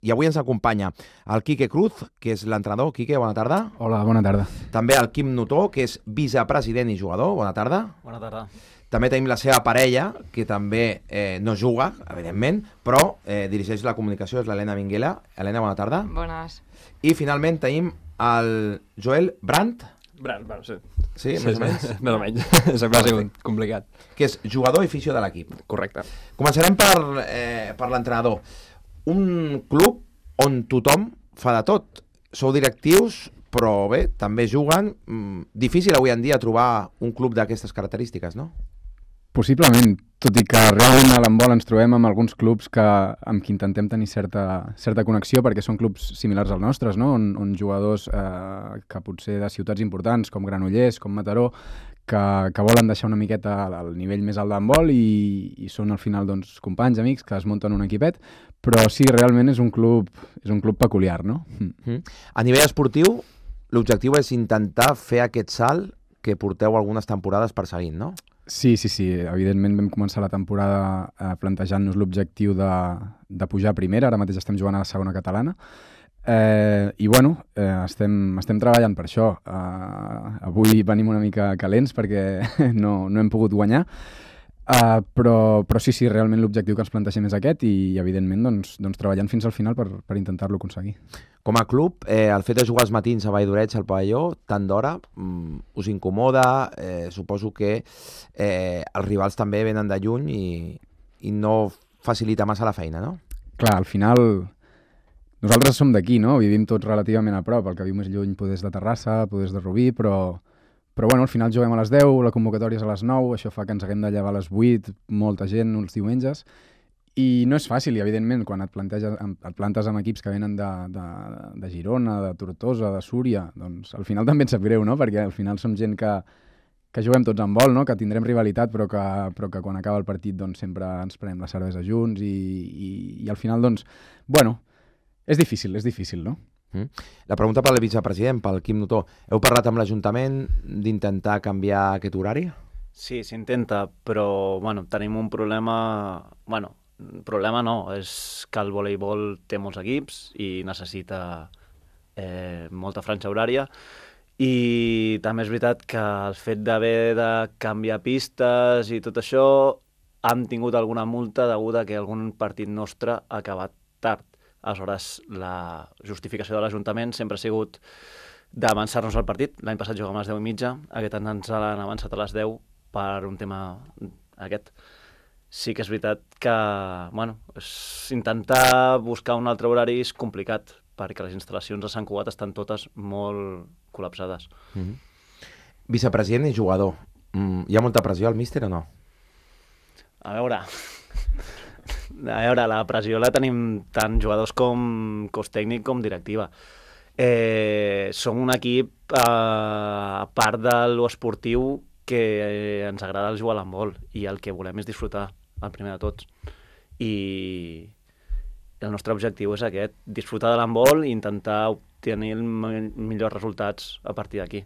I avui ens acompanya el Quique Cruz, que és l'entrenador. Quique, bona tarda. Hola, bona tarda. També el Quim Notó, que és vicepresident i jugador. Bona tarda. Bona tarda. També tenim la seva parella, que també no juga, evidentment, però dirigeix la comunicació, és l'Helena Minguela. Helena, bona tarda. Bones. I finalment tenim el Joel Brandt. Bueno, sí. Sí, més o menys. Més o menys. Sempre ha sigut complicat. Que és jugador i fisio de l'equip. Correcte. Començarem per l'entrenador. Un club on tothom fa de tot. Sou directius, però bé, també juguen. Difícil avui en dia trobar un club d'aquestes característiques, no? Possiblement, tot i que realment a l'handbol ens trobem amb alguns clubs amb qui intentem tenir certa connexió, perquè són clubs similars als nostres, no? On jugadors que potser de ciutats importants, com Granollers, com Mataró, que volen deixar una miqueta al nivell més alt d'handbol i són al final doncs, companys, amics, que es munten un equipet, però sí, realment és un club peculiar, no? A nivell esportiu, l'objectiu és intentar fer aquest salt que porteu algunes temporades perseguint, no? Sí, evidentment vam començar la temporada plantejant-nos l'objectiu de pujar a primera, ara mateix estem jugant a la segona catalana, i bueno, estem treballant per això. Avui venim una mica calents perquè no hem pogut guanyar, però sí, realment l'objectiu que ens plantegem és aquest i evidentment doncs, treballant fins al final per intentar-lo aconseguir. Com a club, el fet de jugar els matins a Valldoreig, al pavelló, tant d'hora, us incomoda? Suposo que els rivals també venen de lluny i no facilita massa la feina, no? Clar, al final nosaltres som d'aquí, no? Vivim tots relativament a prop, el que viu més lluny és de Terrassa, és de Rubí, però bueno, al final juguem a les 10, la convocatòria és a les 9, això fa que ens haguem de llevar a les 8, molta gent, els diumenges, i no és fàcil, i evidentment, quan et plantes amb equips que venen de Girona, de Tortosa, de Súria, doncs al final també et sap greu, no? Perquè al final som gent que juguem tots en vol, no? Que tindrem rivalitat, però que quan acaba el partit doncs, sempre ens prenem la cervesa junts i al final, doncs, bueno, és difícil, no? La pregunta pel vicepresident, pel Quim Notó. Heu parlat amb l'Ajuntament d'intentar canviar aquest horari? Sí, s'intenta, però bueno, tenim un problema... Bueno, problema no, és que el voleibol té molts equips i necessita molta franja horària i també és veritat que el fet d'haver de canviar pistes i tot això han tingut alguna multa deguda a que algun partit nostre ha acabat tard. Aleshores, la justificació de l'Ajuntament sempre ha sigut d'avançar-nos al partit. L'any passat jugàvem a les 10:30, aquest any ens l'han avançat a les 10 per un tema aquest. Sí que és veritat que, bueno, intentar buscar un altre horari és complicat, perquè les instal·lacions a Sant Cugat estan totes molt col·lapsades. Vicepresident i jugador. Hi ha molta pressió al míster o no? A veure, la pressió la tenim tant jugadors com cos tècnic com directiva. Som un equip, a part de l'esportiu, que ens agrada jugar a l'handbol i el que volem és disfrutar, el primer de tots. I el nostre objectiu és aquest, disfrutar de l'handbol i intentar obtenir millors resultats a partir d'aquí.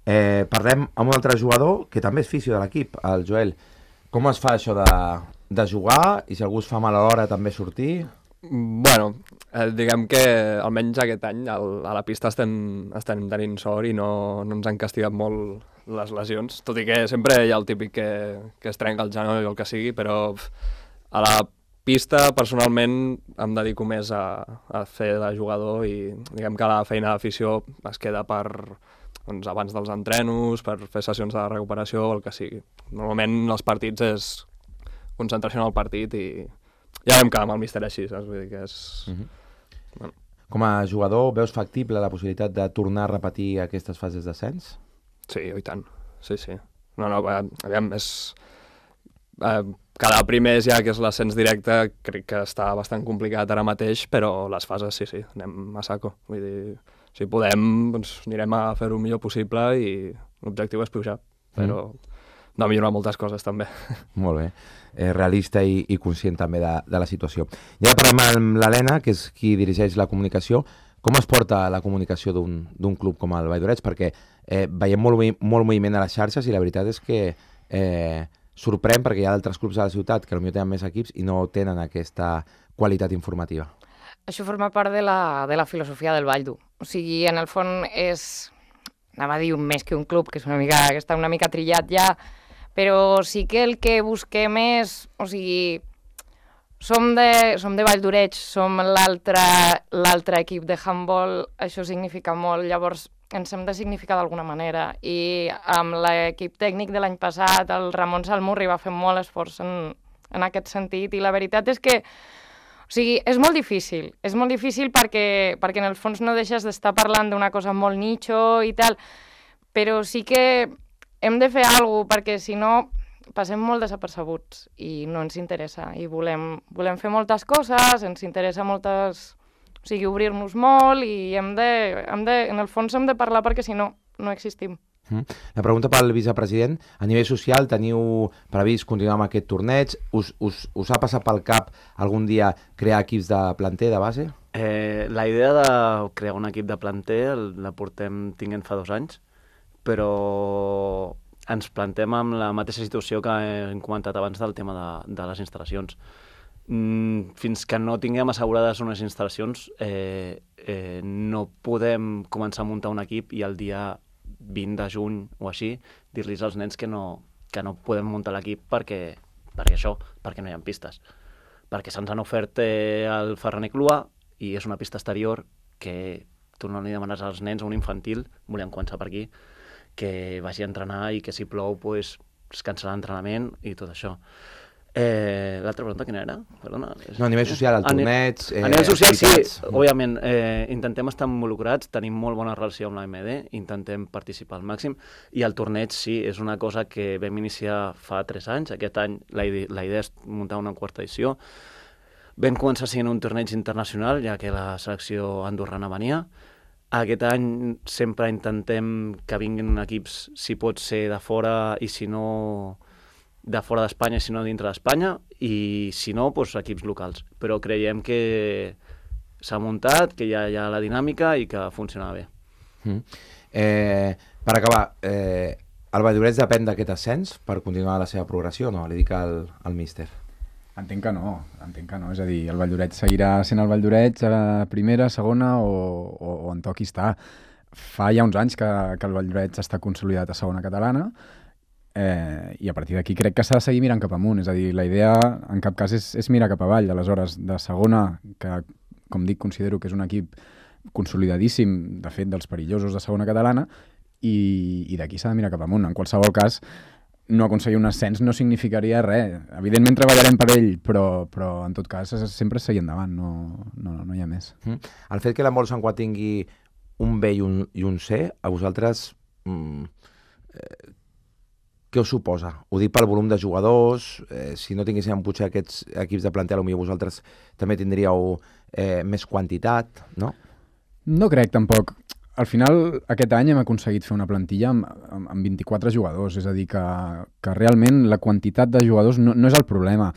Parlem amb un altre jugador que també és fisio de l'equip, el Joel. Com es fa això de jugar i si algú es fa mal a l'hora també sortir? Bueno, diguem que almenys aquest any a la pista estem tenint sort i no ens han castigat molt les lesions, tot i que sempre hi ha el típic que es trenca el genoll o el que sigui, però a la pista personalment em dedico més a fer de jugador i diguem que la feina d'afició es queda doncs, abans dels entrenos, per fer sessions de recuperació o el que sigui. Normalment els partits és concentració en el partit i ja vam quedar amb el míster així, saps? Vull dir que és... Bueno. Com a jugador, veus factible la possibilitat de tornar a repetir aquestes fases d'ascens? Sí, i tant. Sí. No, aviam, és... Cada primer ja que és l'ascens directe crec que està bastant complicat ara mateix, però les fases sí, anem a saco. Vull dir, si podem, doncs anirem a fer-ho el millor possible i l'objectiu és pujar, però de millorar moltes coses també. Molt bé. Realista i conscient també de la situació. I ara parlem amb l'Helena, que és qui dirigeix la comunicació. Com es porta la comunicació d'un club com el Valldoreig? Perquè veiem molt moviment a les xarxes i la veritat és que sorprèn perquè hi ha d'altres clubs a la ciutat que potser tenen més equips i no tenen aquesta qualitat informativa. això forma part de la filosofia del Vall d'U. O sigui, en el fons és, anava a dir més que un club, que està una mica trillat ja, però sí que el que busquem és, o sigui, som de Vall d'Oreig, som l'altre equip de handball, això significa molt, llavors ens hem de significar d'alguna manera, i amb l'equip tècnic de l'any passat, el Ramon Salmurri va fer molt esforç en aquest sentit, i la veritat és que, o sigui, és molt difícil perquè en el fons no deixes d'estar parlant d'una cosa molt nicho i tal, però sí que hem de fer alguna cosa, perquè si no passem molt desapercebuts i no ens interessa, i volem fer moltes coses, ens interessa moltes... O sigui, obrir-nos molt i en el fons hem de parlar perquè si no, no existim. La pregunta pel vicepresident, a nivell social teniu previst continuar amb aquest torneig? Us ha passat pel cap algun dia crear equips de planter, de base? La idea de crear un equip de planter la portem tinguent fa 2 anys, però ens plantem amb la mateixa situació que hem comentat abans del tema de les instal·lacions. Fins que no tinguem assegurades unes instal·lacions no podem començar a muntar un equip i el dia 20 de juny o així dir-los als nens que no podem muntar l'equip perquè no hi ha pistes. Perquè se'ns han ofert el Ferraner Clua i és una pista exterior que tu no li demanes als nens a un infantil, volem començar per aquí, que vagi a entrenar i que si plou pues, es cancel·la l'entrenament i tot això. L'altra pregunta quina era? Perdona. No, a nivell social, el torneig... A nivell social, sí, òbviament, intentem estar involucrats, tenim molt bona relació amb l'AMD, intentem participar al màxim, i el torneig, sí, és una cosa que vam iniciar fa 3 anys. Aquest any la idea és muntar una 4ª edició. Vam començar sent un torneig internacional, ja que la selecció andorrana venia. Aquest any sempre intentem que vinguin equips, si pot ser de fora i si no... de fora d'Espanya, si no dintre d'Espanya, i si no, doncs, equips locals. Però creiem que s'ha muntat, que ja hi ha la dinàmica i que funciona bé. Per acabar, el Valldoreix depèn d'aquest ascens per continuar la seva progressió, no? Li dic al míster. Entenc que no. És a dir, el Valldoreix seguirà sent el Valldoreix a la primera, segona o on toqui estar. Fa ja uns anys que el Valldoreix està consolidat a segona catalana, i a partir d'aquí crec que s'ha de seguir mirant cap amunt, és a dir, la idea en cap cas és mirar cap avall. Aleshores, de segona, que com dic considero que és un equip consolidadíssim, de fet dels perillosos de segona catalana, i d'aquí s'ha de mirar cap amunt. En qualsevol cas, no aconseguir un ascens no significaria res. Evidentment treballarem per ell, però en tot cas sempre seguir endavant, no hi ha més. El fet que l'handbol Sant Cugat tingui un B i un C, a vosaltres... què us suposa? Ho dic pel volum de jugadors, si no tinguéssim potser aquests equips de planter, potser vosaltres també tindríeu més quantitat, no? No crec, tampoc. Al final, aquest any hem aconseguit fer una plantilla amb 24 jugadors, és a dir, que realment la quantitat de jugadors no és el problema.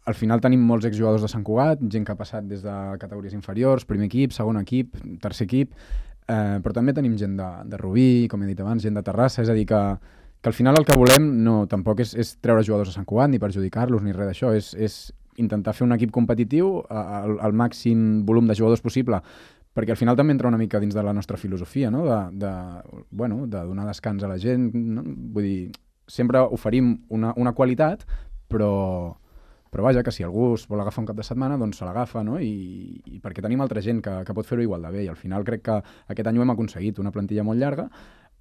Al final tenim molts exjugadors de Sant Cugat, gent que ha passat des de categories inferiors, primer equip, segon equip, tercer equip, però també tenim gent de Rubí, com he dit abans, gent de Terrassa, és a dir, que al final el que volem tampoc és treure jugadors a Sant Cugat, ni perjudicar-los, ni res d'això, és intentar fer un equip competitiu al màxim volum de jugadors possible, perquè al final també entra una mica dins de la nostra filosofia, no? de donar descans a la gent, no? Vull dir, sempre oferim una qualitat, però vaja, que si algú es vol agafar un cap de setmana, doncs se l'agafa, no? I perquè tenim altra gent que pot fer-ho igual de bé, i al final crec que aquest any ho hem aconseguit, una plantilla molt llarga,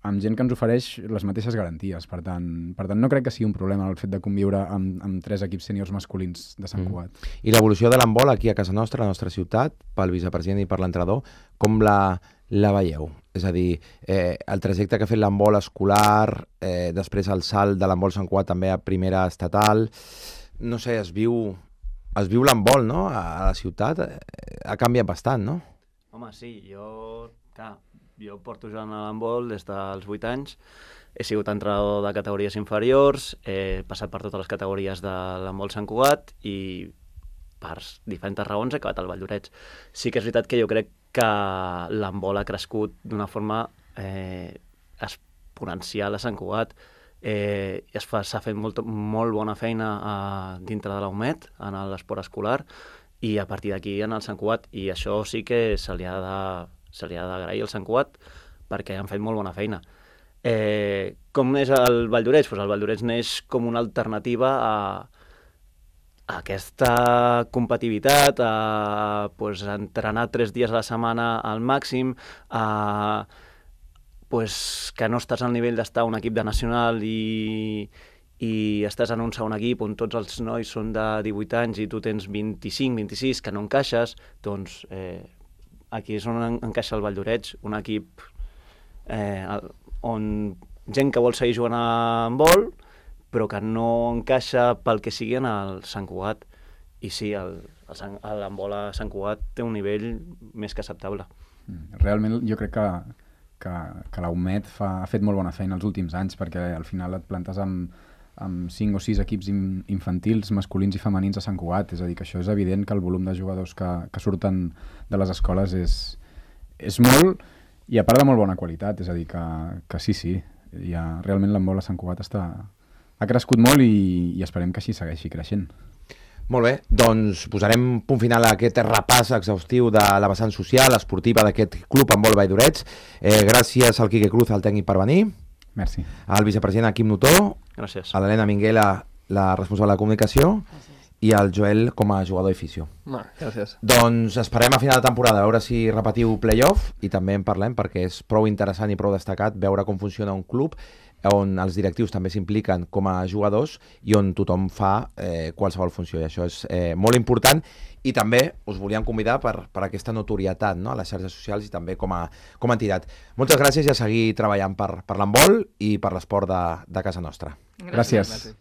amb gent que ens ofereix les mateixes garanties. Per tant, no crec que sigui un problema el fet de conviure amb 3 equips sèniors masculins de Sant Cugat. I l'evolució de l'handbol aquí a casa nostra, a la nostra ciutat, pel vicepresident i per l'entrenador, com la veieu? És a dir, el trajecte que ha fet l'handbol escolar, després el salt de l'handbol Sant Cugat també a primera estatal, no sé, es viu l'handbol, no?, a la ciutat, ha canviat bastant, no? Home, sí, jo porto jugant a l'handbol des dels 8 anys, he sigut entrenador de categories inferiors, he passat per totes les categories de l'handbol Sant Cugat i per diferents raons he acabat al Valldoreix. Sí que és veritat que jo crec que l'handbol ha crescut d'una forma exponencial a Sant Cugat. S'ha fet molt bona feina dintre de la UMED, en l'esport escolar, i a partir d'aquí en el Sant Cugat, i això sí que se li ha d'agrair al Sant Cugat perquè han fet molt bona feina. Com és el Vall d'Oreig? Pues el Vall d'Oreig neix com una alternativa a aquesta competitivitat, a entrenar 3 dies a la setmana al màxim, que no estàs al nivell d'estar a un equip de nacional i estàs en un segon equip on tots els nois són de 18 anys i tu tens 25, 26, que no encaixes, doncs aquí és on encaixa el Vall d'Oreig, un equip on gent que vol seguir jugant a handbol, però que no encaixa pel que sigui en el Sant Cugat. I sí, l'handbol a Sant Cugat té un nivell més que acceptable. Realment jo crec que la UMED ha fet molt bona feina els últims anys, perquè al final et plantes amb 5 o 6 equips infantils, masculins i femenins a Sant Cugat. És a dir, que això és evident que el volum de jugadors que surten de les escoles és molt, i a part de molt bona qualitat. És a dir, que sí, realment l'handbol a Sant Cugat ha crescut molt i esperem que així segueixi creixent. Molt bé, doncs posarem punt final a aquest repàs exhaustiu de la vessant social, esportiva d'aquest club handbol Vall d'Oreig. Gràcies al Quique Cruz, al tècnic, per venir. Merci. Al vicepresident Quim Notó. Gràcies. A l'Helena Minguela, la responsable de comunicació. Gràcies. I al Joel com a jugador d'afició. Gràcies. Doncs esperem a final de temporada, a veure si repetiu playoff, i també en parlem perquè és prou interessant i prou destacat veure com funciona un club on els directius també s'impliquen com a jugadors i on tothom fa qualsevol funció, i això és molt important. I també us volíem convidar per aquesta notorietat, no?, a les xarxes socials i també com a entitat. Moltes gràcies i a seguir treballant per l'handbol i per l'esport de casa nostra. Gràcies.